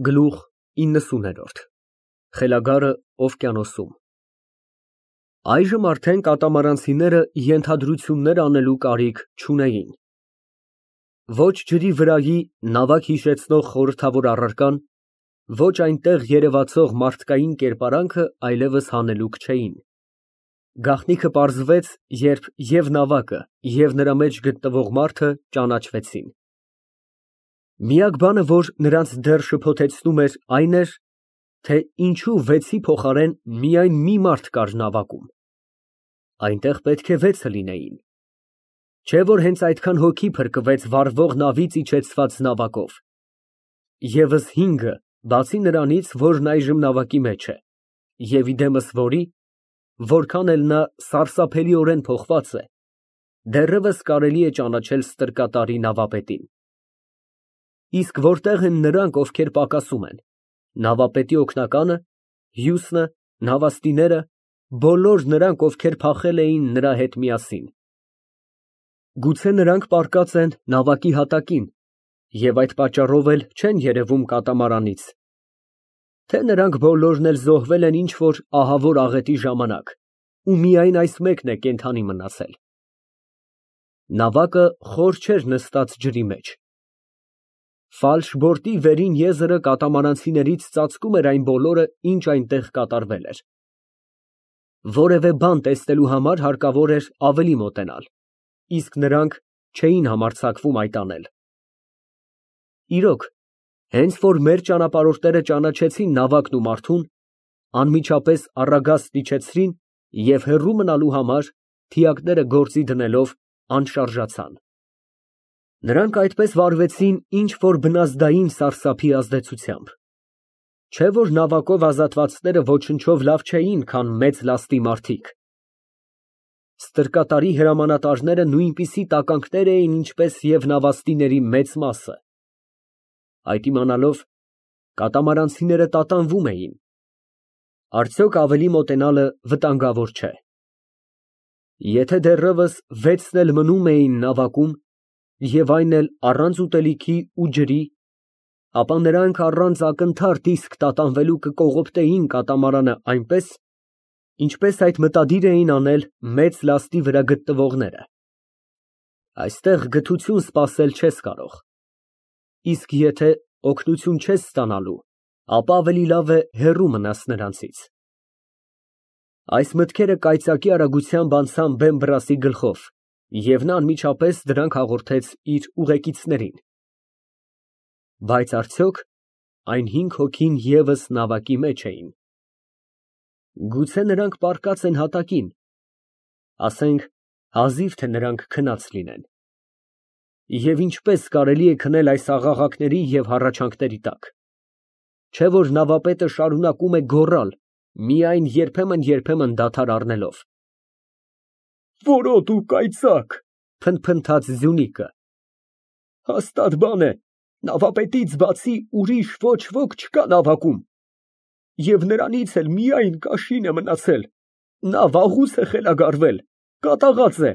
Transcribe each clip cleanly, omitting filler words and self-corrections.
Գլուխ 90 Խելագարը օվկիանոսում Այժմ արդեն կատամարանցիները ենթադրություններ անելու կարիք չունեին. ոչ ջրի վրայի նավակ հիշեցնող խորհրդավոր առարկան, ոչ այնտեղ երևացող մարդկային կերպարանքը այլևս հանելուկ չէին. գաղտնիքը պարզվեց, երբ և նավակը, և նրա մեջ գտնվող մարդը ճանաչվեցին. միակ բանը, որ նրանց դեռ շփոթեցնում էր, այն էր, թե ինչու 6-ի փոխարեն միայն մի մարդ կար նավակում. այնտեղ պետք է 6 լինեին, չէ՞ որ հենց այդքան հոգի փրկվեց վառվող նավից իջեցված նավակով, ևս 5-ը, բացի նրանից, որն այժմ նավակի մեջ է, և ի դեմս որի, որքան էլ նա սարսափելիորեն փոխված է, դեռևս կարելի է ճանաչել ստրկատարի նավապետին։ Իսկ որտե՞ղ են նրանք, ովքեր պակասում են, նավապետի օգնականը, հյուսնը, նավաստիները, բոլոր նրանք, ովքեր փախել էին նրա հետ միասին։ Գուցե նրանք պառկած են նավակի հատակին և այդ պատճառով էլ չեն երևում կատամարանից, թե նրանք բոլորն էլ զոհվել են ինչ֊որ ահավոր աղետի ժամանակ, ու միայն այս մեկն է կենդանի մնացել։ Նավակը խոր չէր նստած ջրի մեջ։ Ֆալշբորտի վերին եզրը կատամարանցիներից ծածկում էր այն բոլորը, ինչ այնտեղ կատարվել էր։ Որևէ բան տեսնելու համար հարկավոր էր ավելի մոտենալ, իսկ նրանք չէին համարձակվում այդ անել։ Իրոք, հենց որ մեր ճանապարհորդները ճանաչեցին նավակն ու մարդուն, անմիջապես առագաստ իջեցրին և հեռու մնալու համար, թիակները գործի դնելով, անշարժացան։ Նրանք այդպես վարվեցին ինչ֊որ բնազդային սարսափի ազդեցությամբ։ Չէ՞ որ նավակով ազատվածները ոչնչով լավ չէին, քան մեծ լաստի մարդիկ։ Ստրկատարի հրամանատարները նույնպիսի տականքներ էին, ինչպես և նավաստիների մեծ մասը։ Այդ իմանալով, կատամարանցիները տատանվում էին. արդյոք ավելի մոտենալը վտանգավոր չէ։ Եթե դեռևս 6-ն էլ մնում էին նավակում, և այն էլ առանց ուտելիքի ու ջրի, ապա նրանք առանց ակնթարթ իսկ տատանվելու կկողոպտեին կատամարանը այնպես, ինչպես այդ մտադիր էին անել մեծ լաստի վրա գտնվողները։ Այստեղ գթություն սպասել չես կարող, իսկ եթե օգնություն չես ստանալու, ապա ավելի լավ է հեռու մնաս նրանցից։ Այս մտքերը կայծակի արագությամբ անցան Բեմբրասի գլխով, և նա անմիջապես դրանք հաղորդեց իր ուղեկիցներին։ Բայց արդյոք այն 5 հոգին ևս նավակի մեջ էին։ Գուցե նրանք պառկած են հատակին, ասենք, հազիվ թե նրանք քնած լինեն։ Եվ ինչպե՞ս կարելի է քնել այս աղաղակների և հառաչանքների տակ։ Չէ՞ որ նավապետը շարունակում է գոռալ, միայն երբեմն դադար առնելով։ Որոտ ու կայծակ, փնթփնթաց Զյունիկը։ Հաստատ բան է, նավապետից բացի ուրիշ ոչ ոք չկա նավակում, և նրանից էլ միայն կաշին է մնացել, նա վաղուց է խելագարվել, կատաղած է։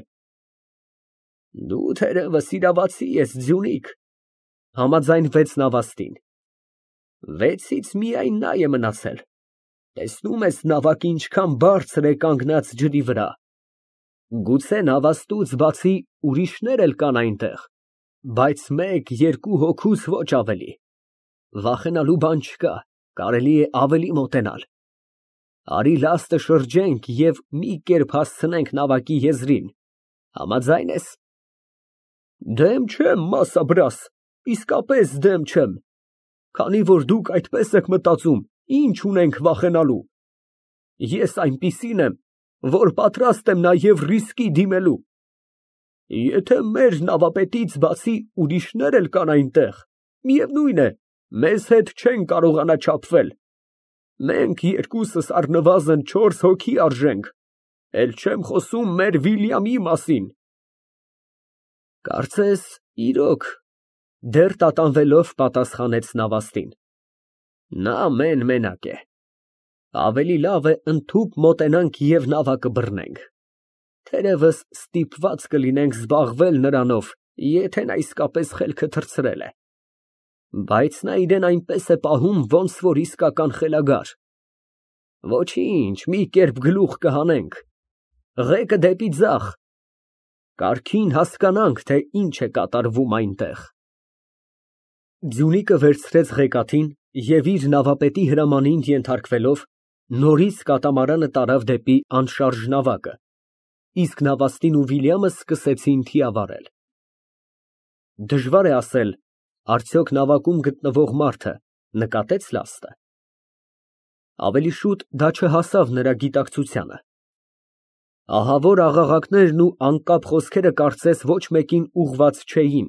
Դու թերևս իրավացի ես, Ձյունիկ, համաձայնվեց նավաստին։ 6-ից միայն նա է մնացել, տեսնում ես նավակը ինչքան բարձր է կանգնած ջրի վրա։ Գուցե նավաստուց բացի ուրիշներ էլ կան այնտեղ, բայց 1-2 հոգուց ոչ ավելի։ Վախենալու բան չկա, կարելի է ավելի մոտենալ։ Արի լաստը շրջենք և մի կերպ հասցնենք նավակի եզրին, համաձա՞յն ես։ Դեմ չեմ, մասաբրաս, իսկապես դեմ չեմ, քանի որ դուք այդպես եք մտածում, ինչ ունենք վախենալու։ Ես այնպիսին եմ, որ պատրաստ եմ նաև ռիսկի դիմելու։ Եթե մեր նավապետից բացի ուրիշներ էլ կան այնտեղ, միևնույն է, մեզ հետ չեն կարողանա չափվել։ Մենք երկուսս առնվազն 4 հոգի արժենք, էլ չեմ խոսում մեր Վիլյամի մասին։ Կարծես, իրոք, դեռ տատանվելով պատասխանեց նավաստին։ Նա մեն֊մենակ է։ Ավելի լավ է ընդհուպ մոտենանք և նավակը բռնենք։ Թերևս ստիպված կլինենք զբաղվել նրանով, եթե նա իսկապես խելքը թռցրել է։ Բայց նա իրան այնպես է պահում, ոնց որ իսկական խելագար։ Ոչինչ, մի կերպ գլուխ կհանենք, ղեկը դեպի ձախ, կարգին հասկանանք, թե ինչ է կատարվում այնտեղ։ Ձյունիկը վերցրեց ղեկաթին և իր նավապետի հրամանին ենթարկվելով, նորից կատամարանը տարավ դեպի անշարժ նավակը, իսկ նավաստին ու Վիլյամը սկսեցին թիավարել։ Դժվար է ասել, արդյոք նավակում գտնվող մարդը նկատե՞ց լաստը։ Ավելի շուտ դա չհասավ նրա գիտակցությանը։ Ահավոր աղաղակներն ու անկապ խոսքերը կարծես ոչ մեկին ուղղված չէին։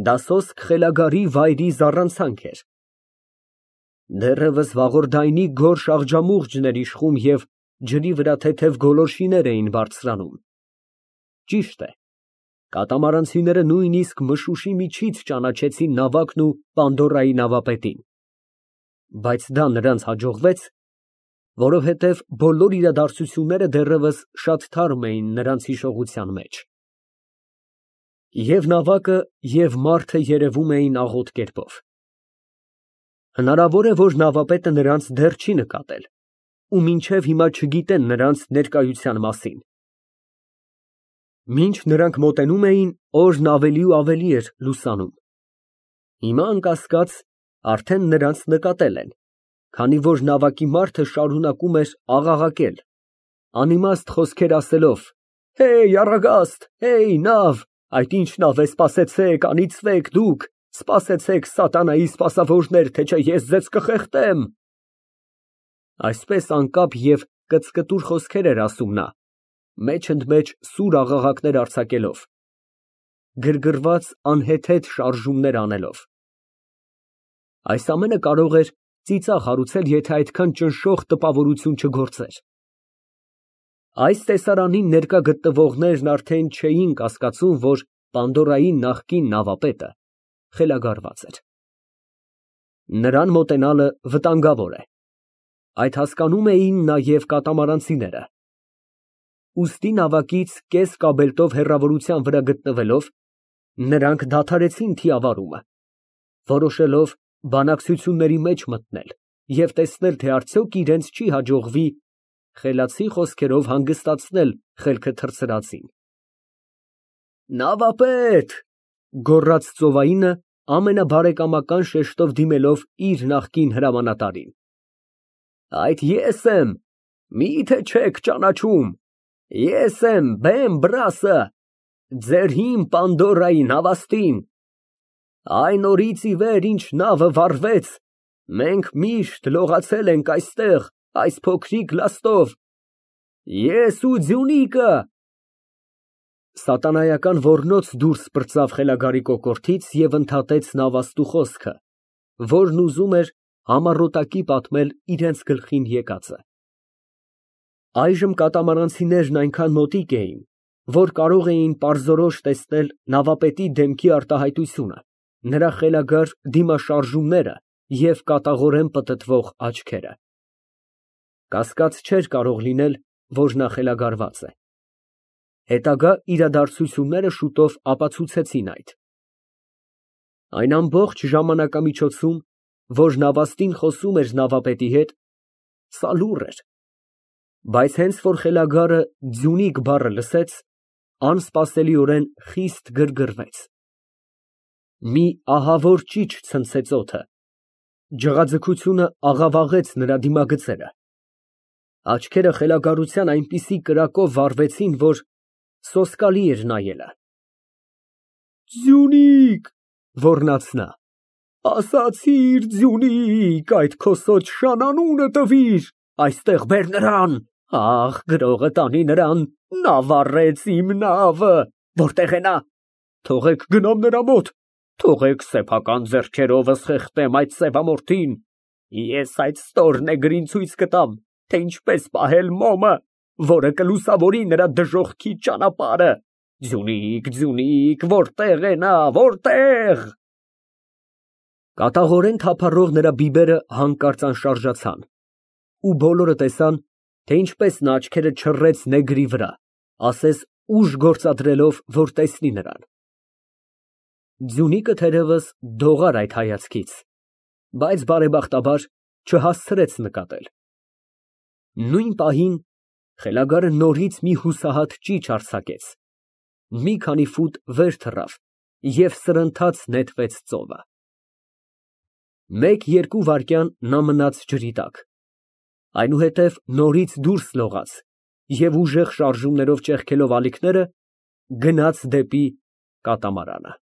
Դա սոսկ խելագարի վայրի զառանցանք էր։ Դեռևս վաղորդայնի գորշ աղջամուղջն էր իշխում և ջրի վրա թեթև գոլորշիներ էին բարձրանում։ Ճիշտ է, կատամարանցիները նույնիսկ մշուշի միջից ճանաչեցին նավակն ու Պանդորայի նավապետին։ Բայց դա նրանց հաջողվեց, որովհետև բոլոր իրադարձությունները դեռևս շատ թարմ էին նրանց հիշողության մեջ։ Եվ նավակը, և մարդը երևում էին աղոտ կերպով։ Հնարավոր է, որ նավապետը նրանց դեռ չի նկատել ու մինչև հիմա չգիտեն նրանց ներկայության մասին։ Մինչ նրանք մոտենում էին, օրն ավելի ու ավելի էր լուսանում։ Հիմա, անկասկած, արդեն նրանց նկատել են, քանի որ նավակի մարդը շարունակում էր աղաղակել, անիմաստ խոսքեր ասելով. «Հեյ, առագաստ, հեյ, նավ, այդ ինչ նավ է, սպասեցեք, անիծվեք դուք, սպասեցեք, սատանայի սպասավորներ, թե չէ ես ձեզ կխեղդեմ»։ Այսպես անկապ և կծկտուր խոսքեր էր ասում նա, մեջ֊ընդմեջ սուր աղաղակներ արձակելով, գրգռված անհեթեթ շարժումներ անելով։ Այս ամենը կարող էր ծիծաղ հարուցել, եթե այդքան ճնշող տպավորություն չգործեր։ Այս տեսարանին ներկա գտնվողներն արդեն չէին կասկածում, որ Պանդորայի նախկին նավապետը խելագարված էր։ Նրան մոտենալը վտանգավոր է։ Այդ հասկանում էին նաև կատամարանցիները։ Ուստի նավակից կես կաբելտով հեռավորության վրա գտնվելով, նրանք դադարեցին թիավարումը, որոշելով բանակցությունների մեջ մտնել և տեսնել, թե արդյոք իրենց չի հաջողվի խելացի խոսքերով հանգստացնել խելքը թռցրածին։ Նավապետ, գոռաց ծովայինը ամենաբարեկամական շեշտով դիմելով իր նախկին հրամանատարին։ Այդ ես եմ, մի՞թե չեք ճանաչում, ես եմ Բեմ Բրասը, ձեր հին Պանդորայի նավաստին։ Այն օրից ի վեր, ինչ նավը վառվեց, մենք միշտ լողացել ենք այստեղ, այս փոքրիկ լաստով, ես ու Ձյունիկը։ Սատանայական ոռնոց դուրս պրծավ խելագարի կոկորդից և ընդհատեց նավաստու խոսքը, որն ուզում էր համառոտակի պատմել իրենց գլխին եկածը։ Այժմ կատամարանցիներն այնքան մոտիկ էին, որ կարող էին պարզորոշ տեսնել նավապետի դեմքի արտահայտությունը, նրա խելագար դիմաշարժումները և կատաղորեն պտտվող աչքերը։ Կասկած չէր կարող լինել, որ նա խելագարված է։ Հետագա իրադարձությունները շուտով ապացուցեցին այդ։ Այն ամբողջ ժամանակամիջոցում, որ նավաստին խոսում էր նավապետի հետ, սա լուռ էր, բայց հենց որ խելագարը Ձյունիկ բառը լսեց, անսպասելիորեն խիստ գրգռվեց։ Մի ահավոր ճիչ ցնցեց օդը, ջղաձգությունը աղավաղեց նրա դիմագծերը, աչքերը խելագարության այնպիսի կրակով վառվեցին, որ սոսկալի էր նայելը։ Ձյունիկ, ոռնաց նա, ասացիր Ձյունիկ, այդ քո սոճշան անունը տվիր, այստեղ բեր նրան, ախ, գրողը տանի նրան, նա վառեց իմ նավը, որտե՞ղ է նա, թողեք գնամ նրա մոտ, թողեք սեփական ձեռքերովս խեղդեմ այդ սևամորթին, ես այդ ստոր նեգրին ցույց կտամ, թե ինչպես պահել մոմը, որը կլուսավորի նրա դժոխքի ճանապարհը։ Ձյունիկ, Ձյունիկ, որտե՞ղ է նա, որտե՞ղ։ Կատաղորեն թափառող նրա բիբերը հանկարծ անշարժացան, ու բոլորը տեսան, թե ինչպես նա աչքերը չռեց նեգրի վրա, ասես ուժ գործադրելով, որ տեսնի նրան։ Ձյունիկը թերևս դողար այդ հայացքից, բայց բարեբախտաբար չհասցրեց նկատել։ Նույն պահին խելագարը նորից մի հուսահատ ճիչ արձակեց, մի քանի ֆուտ վեր թռավ և սրընթաց նետվեց ծովը։ Մեկ֊երկու վայրկյան նա մնաց ջրի տակ, այնուհետև նորից դուրս լողաց և ուժեղ շարժումներով ճեղքելով ալիքները, գնաց դեպի կատամարանը։